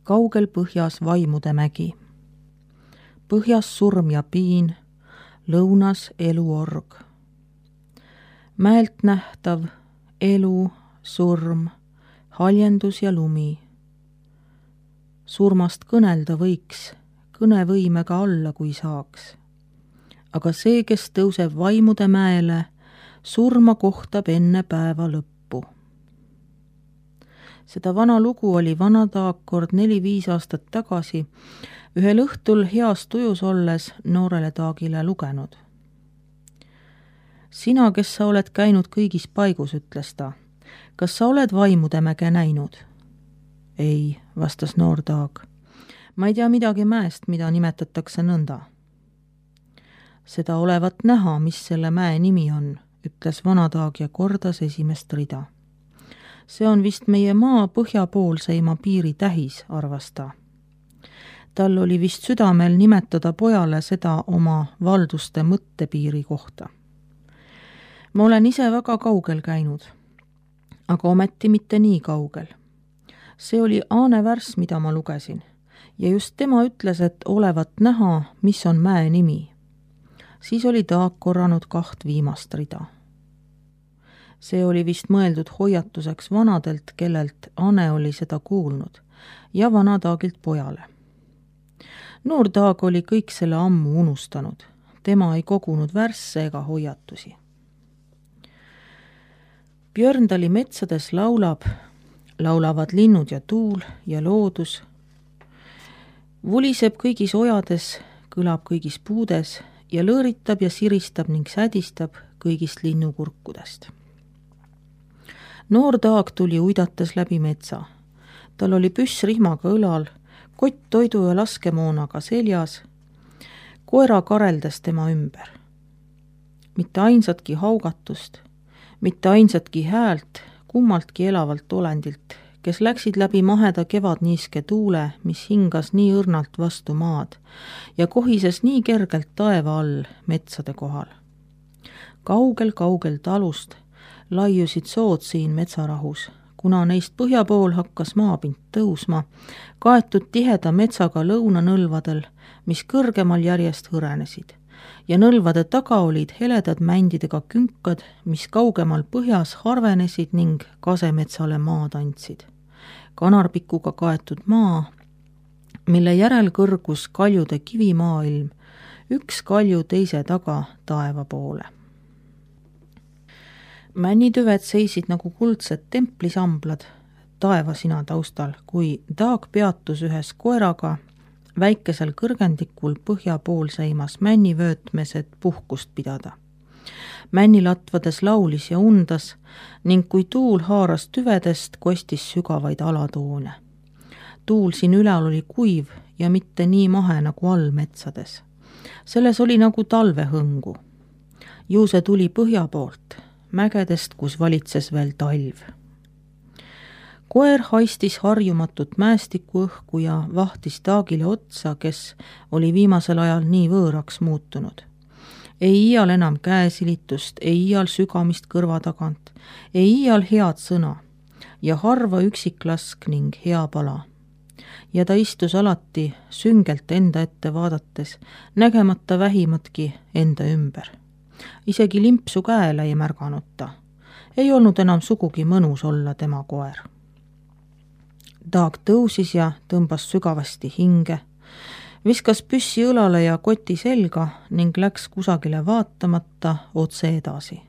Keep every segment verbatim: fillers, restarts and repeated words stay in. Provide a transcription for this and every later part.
kaugel põhjas vaimude mägi. Põhjas surm ja piin, lõunas eluorg. Mäelt nähtav elu, surm, haljendus ja lumi. Surmast kõnelda võiks, kõnevõimega alla, kui saaks. Aga see, kes tõuseb vaimude mäele, surma kohtab enne päeva lõppu. Seda vana lugu oli vana Taag neli-viis aastat tagasi ühel õhtul heas tujus olles noorele Taagile lugenud. Sina, kes sa oled käinud kõigis paigus, ütles ta, kas sa oled vaimude mäge näinud? Ei, vastas noor Taag. Ma ei tea midagi mäest, mida nimetatakse nõnda. Seda olevat näha, mis selle mäe nimi on, ütles vana Taag ja kordas esimest rida. See on vist meie maa põhjapoolseima piiri tähis, arvas ta. Tal oli vist südamel nimetada pojale seda oma valduste mõttepiiri kohta. Ma olen ise väga kaugel käinud, aga ometi mitte nii kaugel. See oli Aane Värs, mida ma lugesin, ja just tema ütles, et olevat näha, mis on mäe nimi. Siis oli Taag korranud kaht viimast rida. See oli vist mõeldud hoiatuseks vanadelt, kellelt Ane oli seda kuulnud, ja vana Taagilt pojale. Noor Taag oli kõik selle ammu unustanud. Tema ei kogunud värsse ega hoiatusi. Björndali metsades laulab, laulavad linnud ja tuul ja loodus. Vuliseb kõigis ojades, kõlab kõigis puudes ja lõõritab ja siristab ning sädistab kõigist linnukurkudest. Noor Taag tuli uidates läbi metsa. Tal oli püss rihmaga õlal, kott toidu ja laskemoonaga seljas, koera kareldas tema ümber. Mitte ainsatki haugatust, mitte ainsatki häält kummaltki elavalt olendilt, kes läksid läbi maheda kevadniiske tuule, mis hingas nii õrnalt vastu maad ja kohises nii kergelt taeva all metsade kohal. Kaugel-kaugel talust laiusid sood siin metsarahus, kuna neist põhja pool hakkas maapind tõusma, kaetud tiheda metsaga lõunanõlvadel, mis kõrgemal järjest hõrenesid, ja nõlvade taga olid heledad mändidega künkad, mis kaugemal põhjas harvenesid ning kasemetsale maad andsid. Kanarpikuga kaetud maa, mille järel kõrgus kaljude kivimaailm, üks kalju teise taga taeva poole. Männitüved seisid nagu kuldsed templisamblad taevasina taustal, kui Taag peatus ühes koeraga väikesel kõrgendikul põhjapoolseimas männivöötmes, et puhkust pidada. Männilatvades laulis ja undas ning kui tuul haaras tüvedest, kostis sügavaid alatoone. Tuul siin ülal oli kuiv ja mitte nii mahe nagu all metsades. Selles oli nagu talvehõngu. Ju see tuli põhja poolt, mägedest, kus valitses veel talv. Koer haistis harjumatut mäestiku õhku ja vahtis Taagile otsa, kes oli viimasel ajal nii võõraks muutunud. Ei iial enam käesilitust, ei iial sügamist kõrva tagant, ei iial head sõna ja harva üksiklask ning hea pala. Ja ta istus alati süngelt enda ette vaadates, nägemata vähimatki enda ümber. Isegi limpsu käele ei märganud ta. Ei olnud enam sugugi mõnus olla tema koer. Taag tõusis ja tõmbas sügavasti hinge, viskas püssi õlale ja koti selga ning läks kusagile vaatamata otse edasi.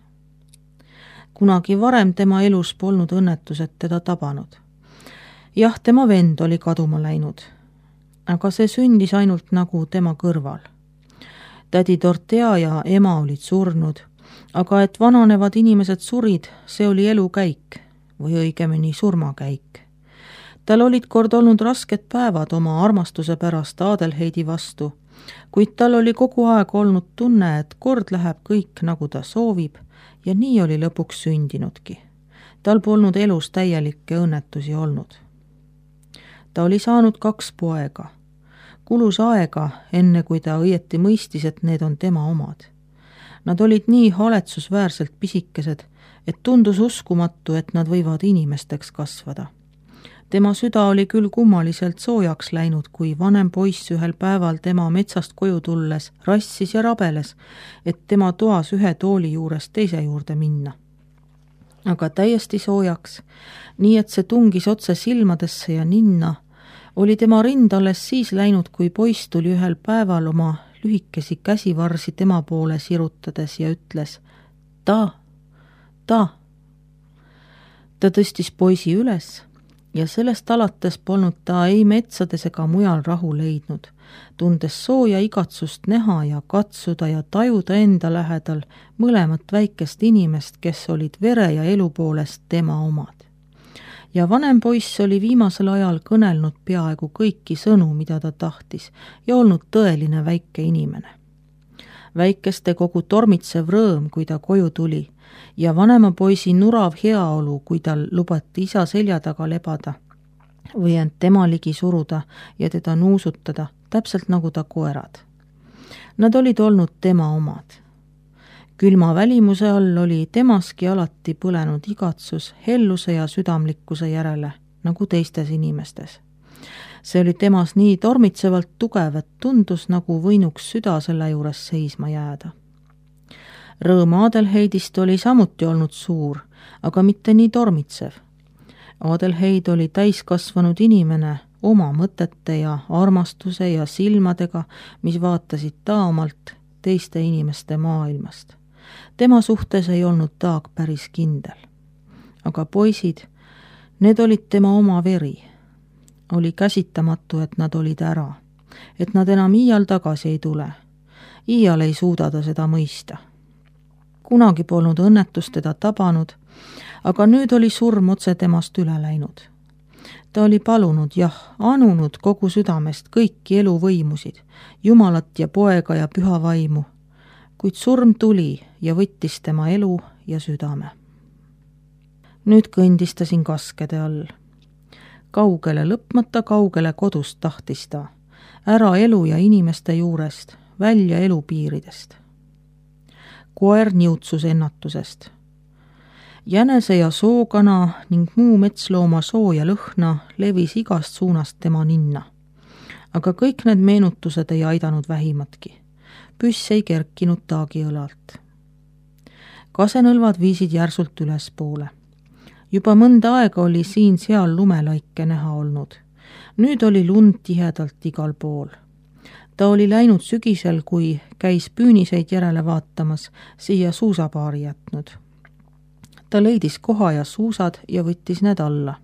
Kunagi varem tema elus polnud õnnetused teda tabanud. Jah, tema vend oli kaduma läinud, aga see sündis ainult nagu tema kõrval. Tädi Dortea ja ema olid surnud, aga et vananevad inimesed surid, see oli elukäik või õigemini surmakäik. Tal olid kord olnud rasked päevad oma armastuse pärast Adelheidi vastu, kuid tal oli kogu aeg olnud tunne, et kord läheb kõik nagu ta soovib ja nii oli lõpuks sündinudki. Tal polnud elus täielikke õnnetusi olnud. Ta oli saanud kaks poega. Kulus aega, enne kui ta õieti mõistis, et need on tema omad. Nad olid nii haletsusväärselt pisikesed, et tundus uskumatu, et nad võivad inimesteks kasvada. tema süda oli küll kummaliselt soojaks läinud, kui vanem poiss ühel päeval tema metsast koju tulles rassis ja rabeles, et tema toas ühe tooli juurest teise juurde minna. Aga täiesti soojaks, nii et see tungis otse silmadesse ja ninna, oli tema rind alles siis läinud, kui poiss tuli ühel päeval oma lühikesi käsivarsi tema poole sirutades ja ütles ta, ta. Ta tõstis poisi üles ja sellest alates polnud ta ei metsades ega mujal rahu leidnud, tundes sooja igatsust näha ja katsuda ja tajuda enda lähedal mõlemat väikest inimest, kes olid vere ja elu poolest tema omad. Ja vanem poiss oli viimasel ajal kõnelnud peaaegu kõiki sõnu, mida ta tahtis, ja olnud tõeline väike inimene. Väikeste kogu tormitsev rõõm, kui ta koju tuli, ja vanema poisi nurav heaolu, kui tal lubati isa selja taga lebada või end tema ligi suruda ja teda nuusutada, täpselt nagu ta koerad. Nad olid olnud tema omad. Külma välimuse all oli temaski alati põlenud igatsus helluse ja südamlikkuse järele, nagu teistes inimestes. See oli temas nii tormitsevalt tugev, et tundus, nagu võinuks süda selle juures seisma jääda. Rõõm Adelheidist oli samuti olnud suur, aga mitte nii tormitsev. Adelheid oli täiskasvanud inimene oma mõtete ja armastuse ja silmadega, mis vaatasid taomalt teiste inimeste maailmast. Tema suhtes ei olnud Taag päris kindel. Aga poisid, need olid tema oma veri. Oli käsitamatu, et nad olid ära, et nad enam iial tagasi ei tule. Iial ei suuda ta seda mõista. Kunagi polnud õnnetus teda tabanud, aga nüüd oli surm otse temast üle läinud. Ta oli palunud, jah, anunud kogu südamest kõiki eluvõimusid, Jumalat ja poega ja püha vaimu, kuid surm tuli ja võttis tema elu ja südame. Nüüd kõndis ta siin kaskede all. Kaugele lõpmata kaugele kodust tahtis ta, ära elu ja inimeste juurest, välja elupiiridest. Koer niutsus ennatusest. Jänese ja sookana ning muu metslooma soo ja lõhna levis igast suunast tema ninna. Aga kõik need meenutused ei aidanud vähimatki. Püss ei kerkinud Taagi õlalt. Kasenõlvad viisid järsult ülespoole. Juba mõnda aega oli siin-seal lumelaike näha olnud. Nüüd oli lund tihedalt igal pool. Ta oli läinud sügisel, kui käis püüniseid järele vaatamas, siia suusapaari jätnud. Ta leidis koha ja suusad ja võttis need alla.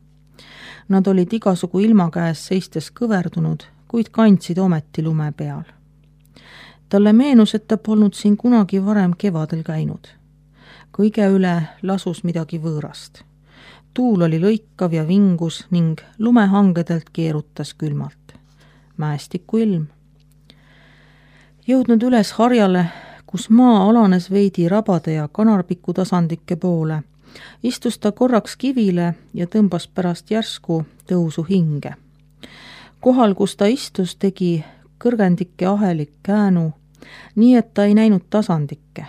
Nad olid igasugu ilma käes seistes kõverdunud, kuid kandsid ometi lume peal. Talle meenus, et ta polnud siin kunagi varem kevadel käinud. Kõige üle lasus midagi võõrast. Tuul oli lõikav ja vingus ning lumehangedelt keerutas külmalt. Mäestiku ilm. Jõudnud üles harjale, kus maa alanes veidi rabade ja kanarpiku tasandike poole, istus ta korraks kivile ja tõmbas pärast järsku tõusu hinge. Kohal, kus ta istus, tegi kõrgendike ahelik käänu, nii et ta ei näinud tasandikke,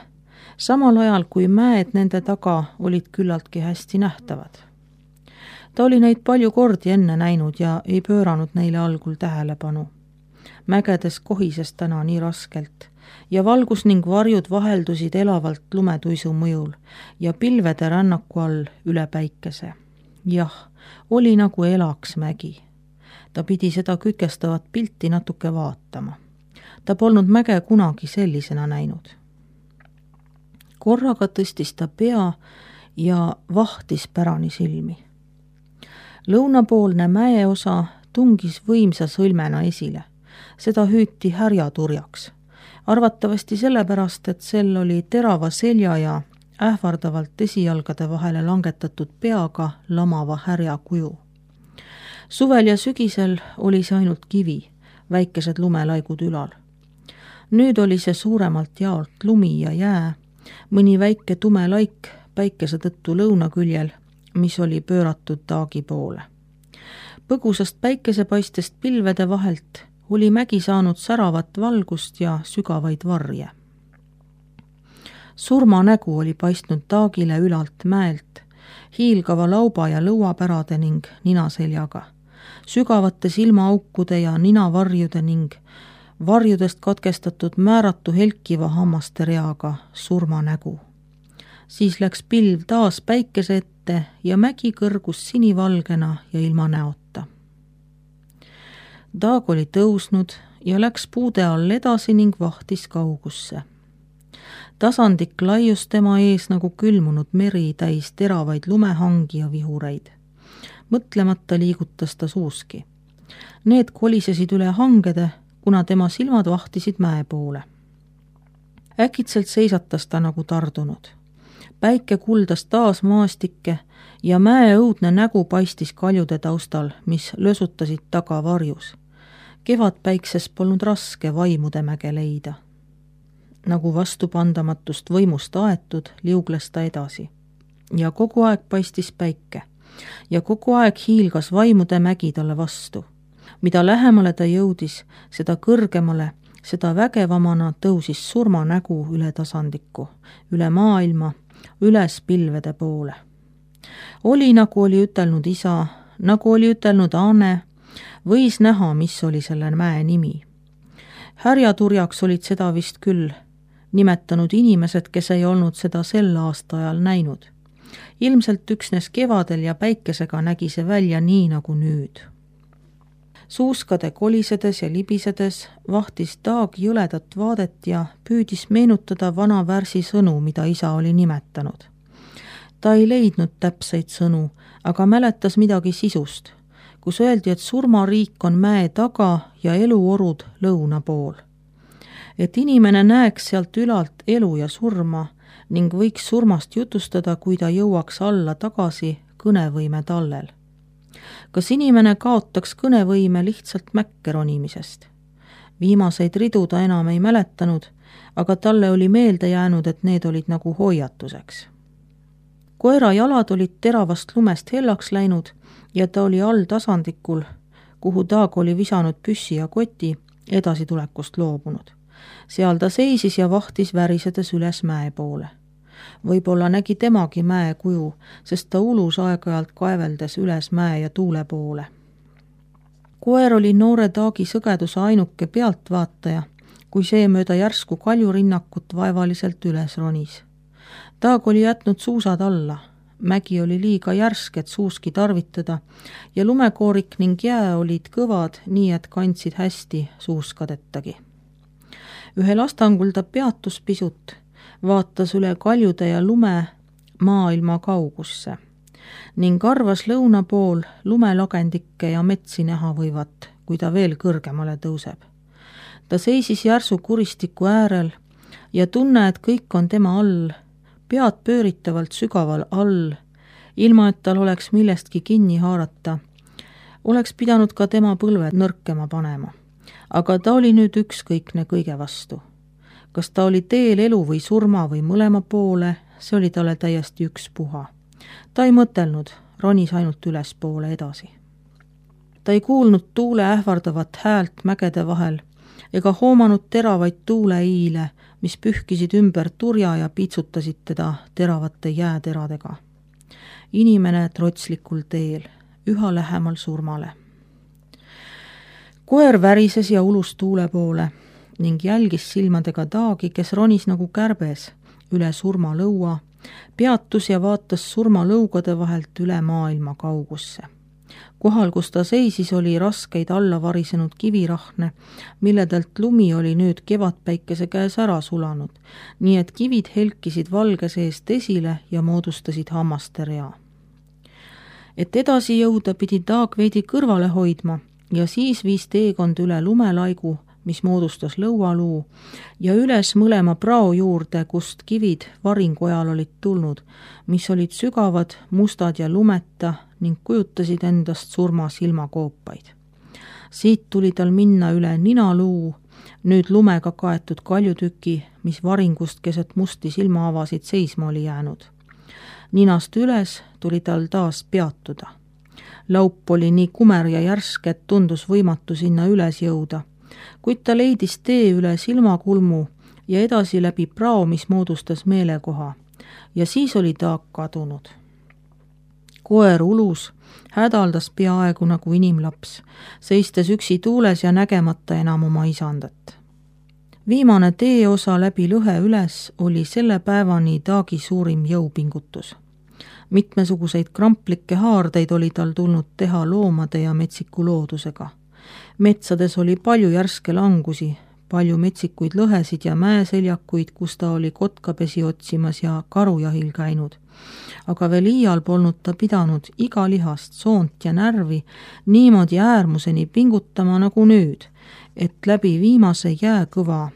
samal ajal kui mäed nende taga olid küllaltki hästi nähtavad. Ta oli neid palju kordi enne näinud ja ei pööranud neile algul tähelepanu. Mägedes kohises täna nii raskelt ja valgus ning varjud vaheldusid elavalt lumetuisu mõjul ja pilvede rännaku all üle päikese. Jah, oli nagu elaks mägi. Ta pidi seda kütkestavat pilti natuke vaatama. Ta polnud mäge kunagi sellisena näinud. Korraga tõstis ta pea ja vahtis pärani silmi. Lõunapoolne mäeosa tungis võimsa sõlmena esile. Seda hüüti härjaturjaks. Arvatavasti sellepärast, et sel oli terava selja ja ähvardavalt esijalgade vahele langetatud peaga lamava härja kuju. Suvel ja sügisel oli see ainult kivi, väikesed lumelaigud ülal. Nüüd oli see suuremalt jaolt lumi ja jää, mõni väike tume laik päikese tõttu lõunaküljel, mis oli pööratud Taagi poole. Põgusast päikesepaistest pilvede vahelt oli mägi saanud säravat valgust ja sügavaid varje. Surma nägu oli paistnud Taagile ülalt mäelt hiilgava lauba ja lõuapärade ning ninaseljaga, sügavate silmaaukude ja ninavarjude ning varjudest katkestatud määratu helkiva hammaste reaga surmanägu. Siis läks pilv taas päikese ette ja mägi kõrgus sinivalgena ja ilma näota. Daag oli tõusnud ja läks puude all edasi ning vahtis kaugusse. Tasandik laius tema ees nagu külmunud meri täis teravaid lumehangi ja vihureid. Mõtlemata liigutas ta suuski. Need kolisesid üle hangede, kuna tema silmad vahtisid mäe poole. Äkitselt seisatas ta nagu tardunud. Päike kuldas taas maastikke ja mäe õudne nägu paistis kaljude taustal, mis lösutasid taga varjus. Kevadpäikses polnud raske vaimude mäge leida. Nagu vastupandamatust võimust aetud, liugles ta edasi. Ja kogu aeg paistis päike. Ja kogu aeg hiilgas vaimude mägi talle vastu. Mida lähemale ta jõudis, seda kõrgemale, seda vägevamana tõusis surmanägu üle tasandiku, üle maailma, üles pilvede poole. Oli, nagu oli ütelnud isa, nagu oli ütelnud Ane, võis näha, mis oli selle mäe nimi. Härjaturjaks olid seda vist küll nimetanud inimesed, kes ei olnud seda sel aastaajal näinud. Ilmselt üksnes kevadel ja päikesega nägi see välja nii nagu nüüd. Suuskade kolisedes ja libisedes vahtis Daag jõledat vaadet ja püüdis meenutada vana värsi sõnu, mida isa oli nimetanud. Ta ei leidnud täpseid sõnu, aga mäletas midagi sisust, kus öeldi, et surmariik on mäe taga ja eluorud lõuna pool. Et inimene näeks sealt ülalt elu ja surma ning võiks surmast jutustada, kui ta jõuaks alla tagasi kõnevõime tallel. Kas inimene kaotaks kõnevõime lihtsalt mäkke ronimisest? Viimaseid ridu ta enam ei mäletanud, aga talle oli meelde jäänud, et need olid nagu hoiatuseks. Koera jalad olid teravast lumest hellaks läinud ja ta oli all tasandikul, kuhu Daag oli visanud püssi ja koti, edasitulekust loobunud. Seal ta seisis ja vahtis värisedes üles mäe poole. Võib-olla nägi temagi mäe kuju, sest ta ulus aeg-ajalt kaeveldes üles mäe ja tuule poole. Koer oli noore Daagi sõgeduse ainuke pealtvaataja, kui see mööda järsku kaljurinnakut vaevaliselt üles ronis. Daag oli jätnud suusad alla, mägi oli liiga järsk, et suuski tarvitada ja lumekoorik ning jää olid kõvad, nii et kandsid hästi suuskadettagi. Ühel astangul ta peatus pisut, vaatas üle kaljude ja lume maailma kaugusse ning arvas lõuna pool lumelagendikke ja metsi näha võivat, kui ta veel kõrgemale tõuseb. Ta seisis järsu kuristiku äärel ja tunne, et kõik on tema all, pead pööritavalt sügaval all, ilma et tal oleks millestki kinni haarata, oleks pidanud ka tema põlved nõrkema panema. Aga ta oli nüüd ükskõikne kõige vastu. Kas ta oli teel elu või surma või mõlema poole, see oli talle täiesti ükspuha. Ta ei mõtelnud, ronis ainult üles poole edasi. Ta ei kuulnud tuule ähvardavat häält mägede vahel ega hoomanud teravaid tuuleiile, mis pühkisid ümber turja ja piitsutasid teda teravate jääteradega. Inimene trotslikul teel, üha lähemal surmale. Koer värises ja ulus tuule poole ning jälgis silmadega Daagi, kes ronis nagu kärbes üle surmalõua, peatus ja vaatas surmalõugade vahelt üle maailma kaugusse. Kohal, kus ta seisis, oli raskeid alla varisenud kivirahne, milledelt lumi oli nüüd kevadpäikese käes ära sulanud, nii et kivid helkisid valge seest esile ja moodustasid hammaste rea. Et edasi jõuda, pidi Daag veidi kõrvale hoidma ja siis viis teekond üle lumelaigu, mis moodustas lõualuu, ja üles mõlema prao juurde, kust kivid varingu ajal olid tulnud, mis olid sügavad, mustad ja lumeta ning kujutasid endast surma silmakoopaid. Siit tuli tal minna üle ninaluu, nüüd lumega kaetud kaljutüki, mis varingust keset musti silmaavasid seisma oli jäänud. Ninast üles tuli tal taas peatuda. Laup oli nii kumer ja järsk, et tundus võimatu sinna üles jõuda, kuid ta leidis tee üle silmakulmu ja edasi läbi prao, mis moodustas meelekoha, ja siis oli Daag kadunud. koer ulus, hädaldas peaaegu nagu inimlaps, seistes üksi tuules ja nägemata enam oma isandat. Viimane teeosa läbi lõhe üles oli selle päevani Daagi suurim jõupingutus. Mitmesuguseid kramplikke haardeid oli tal tulnud teha loomade ja metsiku loodusega. Metsades oli palju järske langusi, palju metsikuid lõhesid ja mäeseljakuid, kus ta oli kotkapesi otsimas ja karujahil käinud. Aga veel iial polnud ta pidanud iga lihast, soont ja närvi niimoodi äärmuseni pingutama nagu nüüd, et läbi viimase jääkõva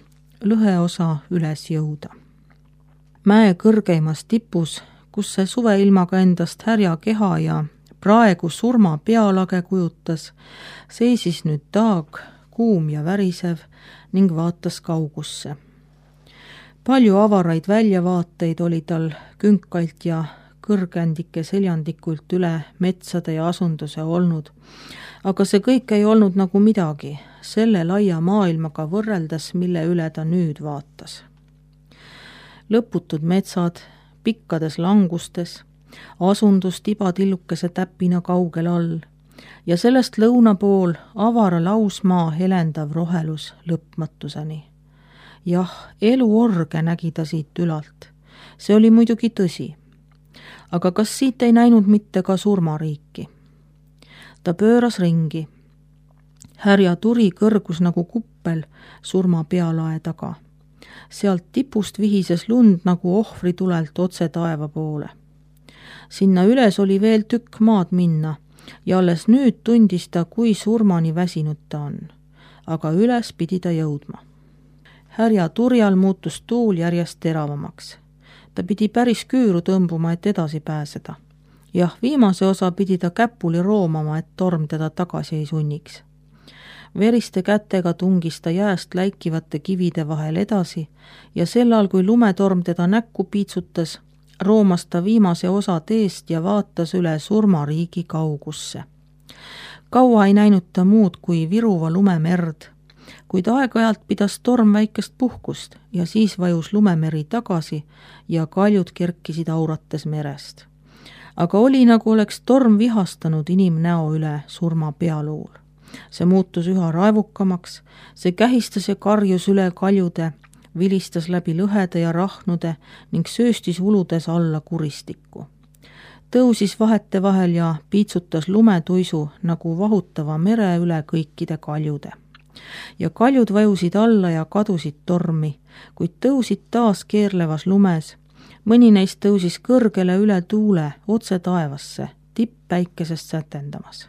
lõheosa üles jõuda. Mäe kõrgeimas tipus, kus see suveilmaga endast härja keha ja praegu surma pealage kujutas, seisis nüüd Daag, kuum ja värisev, ning vaatas kaugusse. Palju avaraid väljavaateid oli tal künkalt ja kõrgendike seljandikult üle metsade ja asunduse olnud, aga see kõik ei olnud nagu midagi, selle laia maailmaga võrreldes, mille üle ta nüüd vaatas. Lõputud metsad, pikkades langustes, asundus tibatillukese täpina kaugel all ja sellest lõuna pool avara lausmaa helendav rohelus lõpmatuseni. Jah, eluorge nägi ta siit ülalt. See oli muidugi tõsi. Aga kas siit ei näinud mitte ka surmariiki? Ta pööras ringi. Härja turi kõrgus nagu kuppel surma pealae taga. Sealt tipust vihises lund nagu ohvritulelt otse taeva poole. Sinna üles oli veel tükk maad minna ja alles nüüd tundis ta, kui surmani väsinud ta on. Aga üles pidi ta jõudma. Härja turjal muutus tuul järjest teravamaks. Ta pidi päris küüru tõmbuma, et edasi pääseda. Jah, viimase osa pidi ta käpuli roomama, et torm teda tagasi ei sunniks. Veriste kätega tungis ta jääst läikivate kivide vahel edasi ja sellal, kui lumetorm teda näkku piitsutas, roomas ta viimase osa teest ja vaatas üle surmariigi kaugusse. Kaua ei näinud ta muud kui viruva lumemerd, kuid aeg-ajalt pidas torm väikest puhkust ja siis vajus lumemeri tagasi ja kaljud kerkisid aurates merest. Aga oli nagu oleks torm vihastanud inimnäo üle surma pealuul. See muutus üha raevukamaks, see kähistas ja karjus üle kaljude, vilistas läbi lõhede ja rahnude ning sööstis uludes alla kuristikku. Tõusis vahete vahel ja piitsutas lumetuisu nagu vahutava mere üle kõikide kaljude. Ja kaljud vajusid alla ja kadusid tormi, kuid tõusid taas keerlevas lumes. Mõni neist tõusis kõrgele üle tuule otse taevasse, tipppäikesest sätendamas.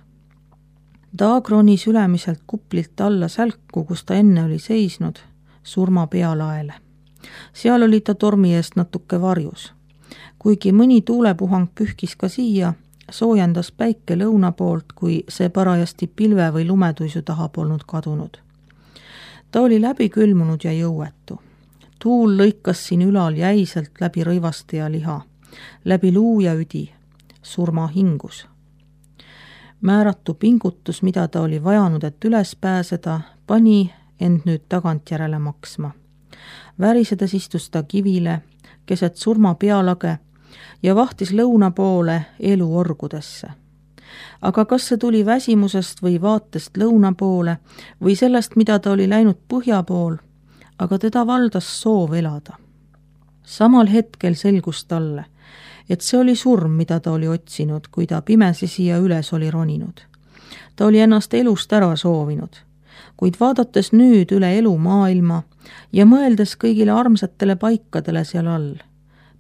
Daag ronis ülemiselt kuplilt alla sälku, kus ta enne oli seisnud, surma pealaele. Seal oli ta tormi eest natuke varjus. Kuigi mõni tuulepuhang pühkis ka siia, soojendas päike lõuna poolt, kui see parajasti pilve või lumetuisu taha polnud kadunud. Ta oli läbi külmunud ja jõuetu. Tuul lõikas siin ülal jäiselt läbi rõivaste ja liha, läbi luu ja üdi, surma hingus. Määratu pingutus, mida ta oli vajanud, et üles pääseda, pani end nüüd tagantjärele maksma. Värisedes istus ta kivile, keset surma pealage ja vahtis lõuna poole eluorgudesse. Aga kas see tuli väsimusest või vaatest lõuna poole või sellest, mida ta oli läinud põhja pool, aga teda valdas soov elada. Samal hetkel selgus talle, et see oli surm, mida ta oli otsinud, kui ta pimesi siia üles oli roninud. Ta oli ennast elust ära soovinud, kuid vaadates nüüd üle elu maailma ja mõeldes kõigile armsatele paikadele seal all,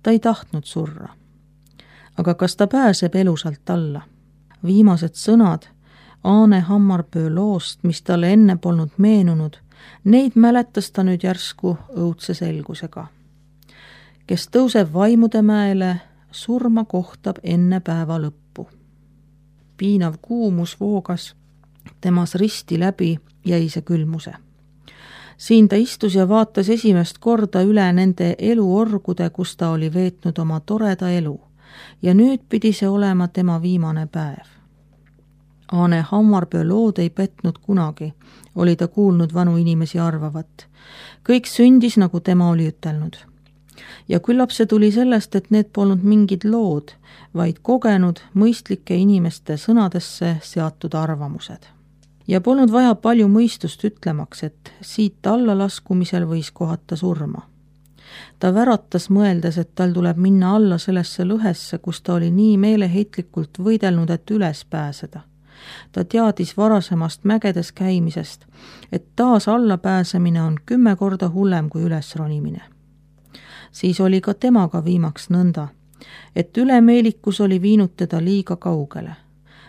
ta ei tahtnud surra. Aga kas ta pääseb elusalt alla? Viimased sõnad Aane Hammarpöö loost, mis talle enne polnud meenunud, neid mäletas ta nüüd järsku õudse selgusega. Kes tõuseb vaimude mäele, surma kohtab enne päeva lõppu. Piinav kuumus voogas temas risti läbi jäise külmuse. Siin ta istus ja vaatas esimest korda üle nende eluorgude, kus ta oli veetnud oma toreda elu ja nüüd pidi see olema tema viimane päev. Aane Hammarpöö lood ei petnud kunagi, oli ta kuulnud vanu inimesi arvavat. Kõik sündis, nagu tema oli ütelnud. ja küllap see tuli sellest, et need polnud mingid lood, vaid kogenud mõistlike inimeste sõnadesse seatud arvamused. Ja polnud vaja palju mõistust ütlemaks, et siit allalaskumisel võis kohata surma. Ta väratas mõeldes, et tal tuleb minna alla sellesse lõhesse, kus ta oli nii meeleheitlikult võidelnud, et üles pääseda. Ta teadis varasemast mägedes käimisest, et taas alla pääsemine on kümme korda hullem kui üles ronimine. Siis oli ka temaga viimaks nõnda, et ülemeelikus oli viinud teda liiga kaugele.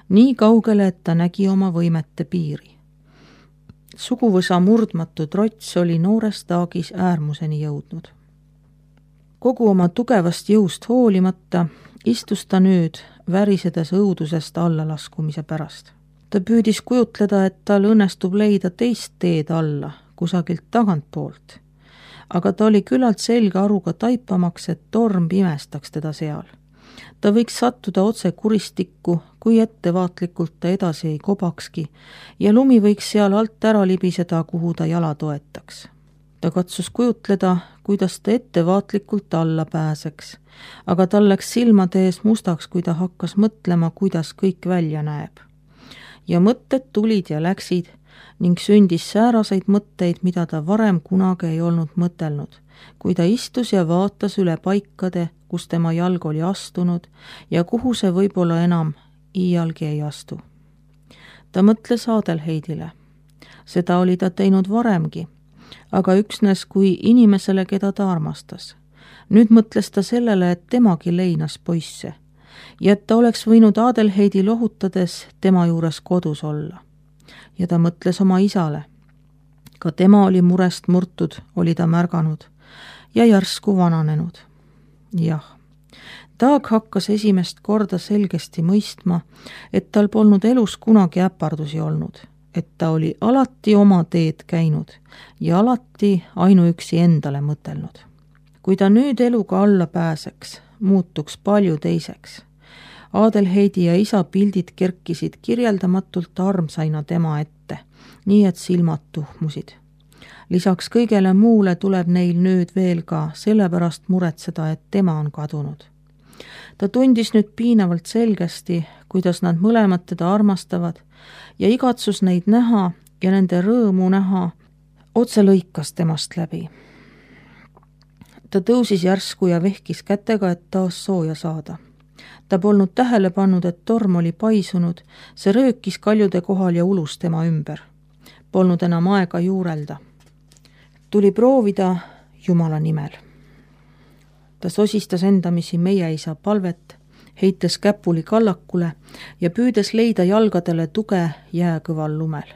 Nii kaugele, et ta nägi oma võimete piiri. Suguvõsa murdmatu trots oli noores Daagis äärmuseni jõudnud. Kogu oma tugevast jõust hoolimata istus ta nüüd värisedes õudusest allalaskumise pärast. Ta püüdis kujutleda, et tal õnnestub leida teist teed alla, kusagilt tagantpoolt, aga ta oli küllalt selge aruga taipamaks, et torm pimestaks teda seal. Ta võiks sattuda otse kuristikku, kui ettevaatlikult ta edasi ei kobakski, ja lumi võiks seal alt ära libiseda, kuhu ta jala toetaks. Ta katsus kujutleda, kuidas ta ettevaatlikult alla pääseks, aga tal läks silmade ees mustaks, kui ta hakkas mõtlema, kuidas kõik välja näeb. Ja mõtted tulid ja läksid ning sündis sääraseid mõtteid, mida ta varem kunagi ei olnud mõtelnud, kui ta istus ja vaatas üle paikade, kus tema jalg oli astunud ja kuhu see võib-olla enam iialgi ei astu. Ta mõtles Adelheidile. Seda oli ta teinud varemgi, aga üksnes kui inimesele, keda ta armastas. Nüüd mõtles ta sellele, et temagi leinas poisse ja et ta oleks võinud Adelheidi lohutades tema juures kodus olla. Ja ta mõtles oma isale. Ka tema oli murest murtud, oli ta märganud ja järsku vananenud. Jah, Daag hakkas esimest korda selgesti mõistma, et tal polnud elus kunagi äpardusi olnud, et ta oli alati oma teed käinud ja alati ainuüksi endale mõtelnud. Kui ta nüüd eluga alla pääseks, muutuks palju teiseks. Adelheidi ja isa pildid kerkisid kirjeldamatult armsaina tema ette, nii et silmad tuhmusid. Lisaks kõigele muule tuleb neil nüüd veel ka sellepärast muretseda, et tema on kadunud. Ta tundis nüüd piinavalt selgesti, kuidas nad mõlemad teda armastavad ja igatsus neid näha ja nende rõõmu näha otse lõikas temast läbi. Ta tõusis järsku ja vehkis kätega, et taas sooja saada. Ta polnud tähele pannud, et torm oli paisunud, see röökis kaljude kohal ja ulus tema ümber. Polnud enam aega juurelda. Tuli proovida Jumala nimel. Ta sosistas endamisi meie isa palvet, heites käpuli kallakule ja püüdes leida jalgadele tuge jääkõval lumel.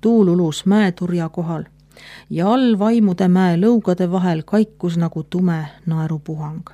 Tuul ulus mäeturja kohal ja all vaimude mäe lõugade vahel kaikus nagu tume naerupuhang.